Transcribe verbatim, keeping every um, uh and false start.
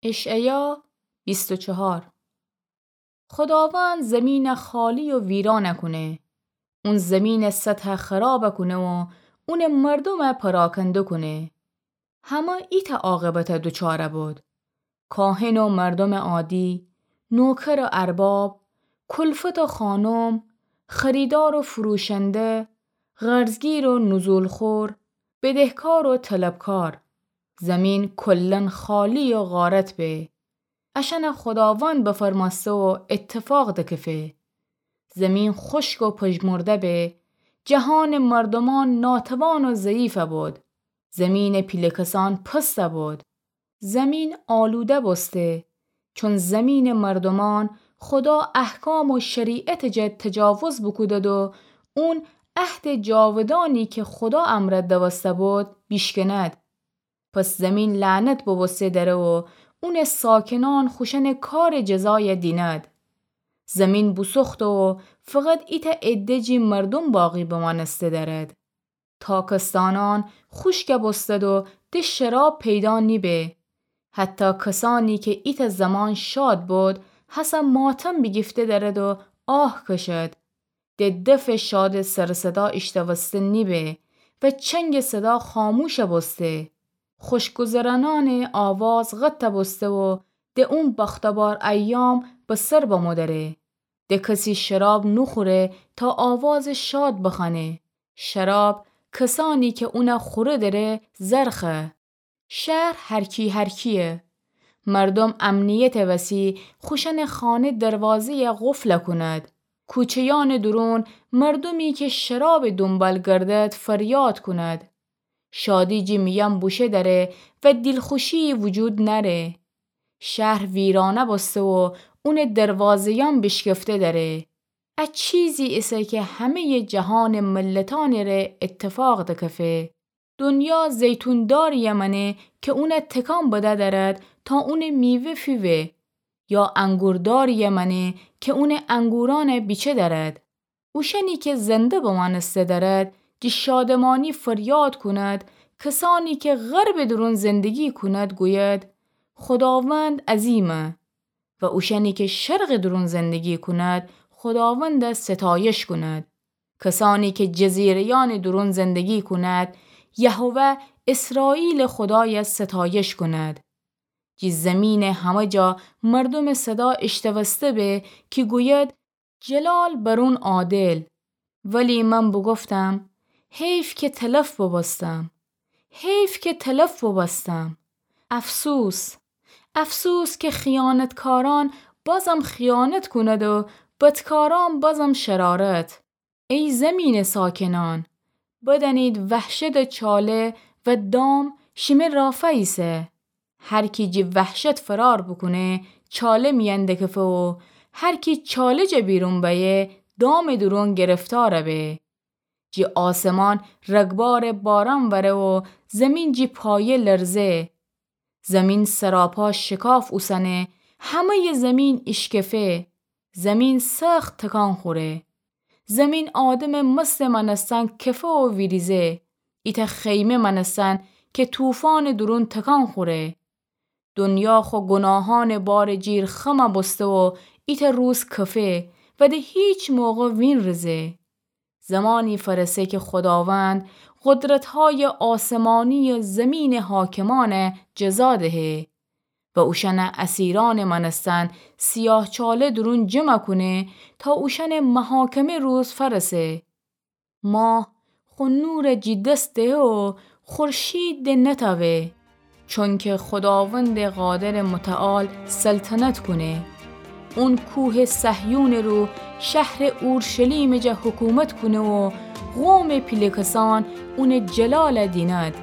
اشعیا بیست و چهار. خداوند زمینَ خالی و ویرانَ کونه. اون زمینٚ سطحَ خرابَ کونه و اونٚ مردومَ پراکنده کونه. همه ایتأ عاقبتَ دوچارَ بود: کاهن و مردومٚ عادی، نوکر و ارباب، کلفت و خانم، خریدار و فروشنده، قرضگیر و نزول‌خور، بدهکار و طلبکار. زمین کلاً خالی و غارت به. اشأنَ خداوند بفرمأسته و اتفاق دکفه. زمین خشک و پژمرده به، جهانٚ مردومأن ناتوان و ضعیفَ بود. زمینٚ پیله کسأن پستَ بود. زمین آلوده بوسته، چون زمینٚ مردومأن خدا احکام و شریعتٚ جا تجاوز بوکودد و اون عهدٚ جاودانی که خدا امرأ دوسته بود بیشکند. پس زمین لعنت بوبوسته دره و اونٚ ساکنأن خوشأنٚ کارٚ جزایَ دیند. زمین بوسوخته و فقط ایتأ عده جی مردوم باقی بمأنسته درد. تاکستانأن خوشکَ بوستد و ده شراب پیدا نیبه. حتی کسأنی که ایتأ زمان شاد بود، هسه ماتم بیگیفته درد و آه کشد. ده دفٚ شادٚ سر و صدا ایشتوسته نیبه و چنگٚ صدا خاموشَ بوسته. خوشگذرأنأنٚ آواز قطعَ بوسته و ده اون بختٚ بار ایام به سر بمو دره. ده کسی شراب نوخوره تا آوازٚ شاد بخوأنه. شراب کسأنی که اونَ خوره دره زرخه. شهر هرکی هرکیه. مردوم امنیتٚ وسی خوشأنٚ خانه دروازه‌یَ قفلَ کند. کوچه‌یأنٚ دورون مردومی که شرابٚ دونبال گردد فریاد کند. شادی جی میأن بوشه دره و دیلخوشی‌یی وجود نأره. شهر ویرانه بوسته و اونٚ دروازه‌یأن بیشکفته دره. ا چیزی ایسه که همه‌یٚ جهانٚ ملتأنٚ ره اتفاق دکفه. دنیا زیتون داری‌یَ مأنه که اونَ تکان بده درد تا اونٚ میوه فیوه، یا انگور داری‌یَ مأنه که اونٚ انگورأنَ بیچه درد. اوشأنی که زنده بمأنسته درد، جی شادمانی فریاد کند، کسأنی که غربٚ دورون زندگی کند، گوید: خداوند عظیمه. و اوشأنی که شرقٚ دورون زندگی کند، خداوندَ ستایش کند. کسأنی که جزیره‌یأنٚ دورون زندگی کند، یهوه اسرائیلٚ خدایَ ستایش کند. جی زمینٚ همه جا مردومٚ صدا ایشتوسته به که گوید: جلال بر اون عادل. ولی من بوگفتم: حیف که تلف بوبوستم. حیف که تلف بوبوستم. افسوس. افسوس که خیانتکارأن بازم خیانت کند و بدکارأن بازم شرارت. ای زمینٚ ساکنأن، بدأنید وحشتٚ چاله و دام شیمه رافا ایسه. هر کی جی وحشت فرار بوکونه، چاله میأن دکفه و هر کی چاله جا بیرون بأیه، دامٚ دورون گرفتار به. جی آسمان رگبارٚ باران وره و زمین جی پایه لرزه. زمین سراپا شکاف اوسنه، همه‌یٚ زمین ایشکفه. زمین سخت تکان خوره. زمین آدمٚ مستٚ مأنستن کفه و ویریزه. ایتأ خیمه مأنستن که طوفانٚ دورون تکان خوره. دنیا خو گناهانٚ بارٚ جیر خم بوسته و ایتأ روز کفه و ده هیچ موقع وینریزه. زمانی فرسه که خداوند قدرت‌های آسمانی و زمینٚ حاکمأنه جزا دهه و اوشأنٚ اسیرأنٚ مأنستن سیاهچاله دورون جمع کونه تا اوشأنٚ محاکمه روز فرسه. ماه خو نورٚ جی دس دهه و خورشید ده نتأوه، چونکه خداوندٚ قادرٚ متعال سلطنت کونه. اون کوهٚ صهیونٚ رو شهرٚ اورشلیمٚ جا حکومت کونه و قومٚ پیله کسأن اونٚ جلال دیند.